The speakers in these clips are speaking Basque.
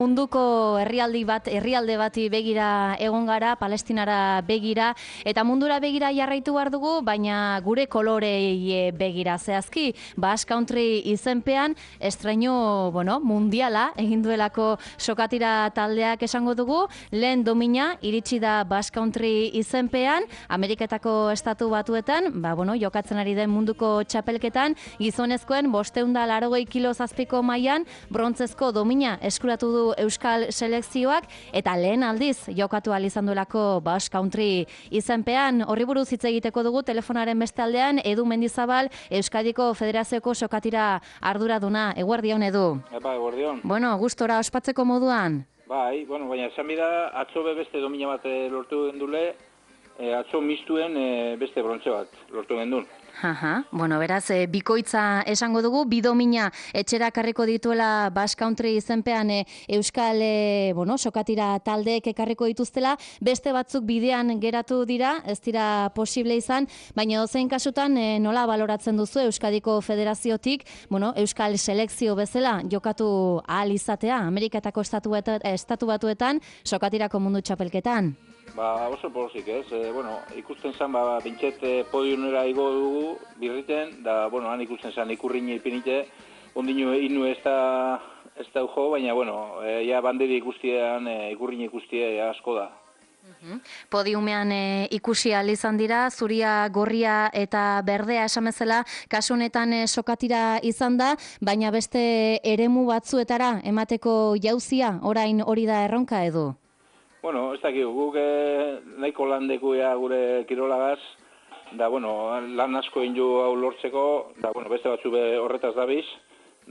Munduko herrialde bati begira egon gara, Palestinara begira, eta mundura begira jarraitu behar dugu, baina gure kolorei begira zehazki. Basque Country izenpean, estreinu, mundiala, egin duelako sokatira taldeak esango dugu, lehen domina iritsi da Basque Country izenpean, Ameriketako estatu batuetan, jokatzen ari den munduko txapelketan, gizonezkoen 580 kilo zazpiko mailan, brontzezko domina eskuratu du Euskal selekzioak, eta lehen aldiz jokatu ahal izan duelako Basque Country izenpean. Horri buruz hitz egiteko dugu telefonaren beste aldean Edu Mendizabal, Euskadiko Federazioko sokatira arduraduna. Eguerdion, Edu. Eguerdion. Gustora ospatzeko moduan. Baina esan bida, atzo beste domina bat lortu gendule, atzo mistuen beste brontze bat lortu gendun. Beraz, bikoitza esango dugu, bi domina etxera karriko dituela Basque Country izenpean Euskal sokatira taldeek ekarriko dituztela, beste batzuk bidean geratu dira, ez dira posible izan, baina ozein kasutan nola baloratzen duzu Euskadiko Federaziotik, Euskal selekzio bezala jokatu ahal izatea, Ameriketako estatu batuetan, sokatirako mundu txapelketan? Oso pozik ez, ikusten zen, bintxet podiunera igo dugu birriten, han ikusten zen ikurriñe ipinite, ondino inu ez da ujo, baina, ja banderi ikustean, ikurriñe ikustea asko da. Podiumean ikusi ahal izan dira, zuria, gorria eta berdea esamezela, kasu honetan sokatira izan da, baina beste eremu batzuetara emateko jauzia, orain hori da erronka, Edu? Ez dakik, guk nahiko lan dekuia gure kirolagaz, lan asko indu hau lortzeko, beste batzu horretaz dabiz,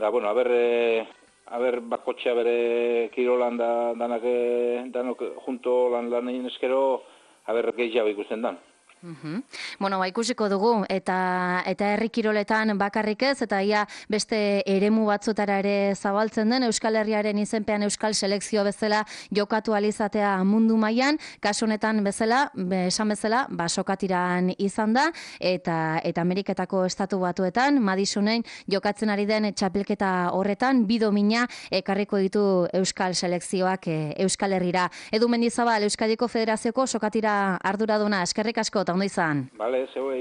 aber bakotxea bere kirolan danok junto lan egin eskero, aber gehiago ikusten dan. Ikusiko dugu, eta herri kiroletan bakarrik ez, eta ia beste eremu batzutara ere zabaltzen den, Euskal Herriaren izenpean Euskal selekzio bezala jokatu alizatea mundu mailan, kasu honetan bezala, esan bezala, sokatiran izan da, eta Ameriketako estatu batuetan, Madisonen jokatzen ari den txapelketa horretan, bi domina ekarriko ditu Euskal selekzioak Euskal Herrira. Edu Mendizabal, Euskadiko Federazioko sokatira arduraduna, eskerrik asko, eta ondo izan. Bale, zeuei.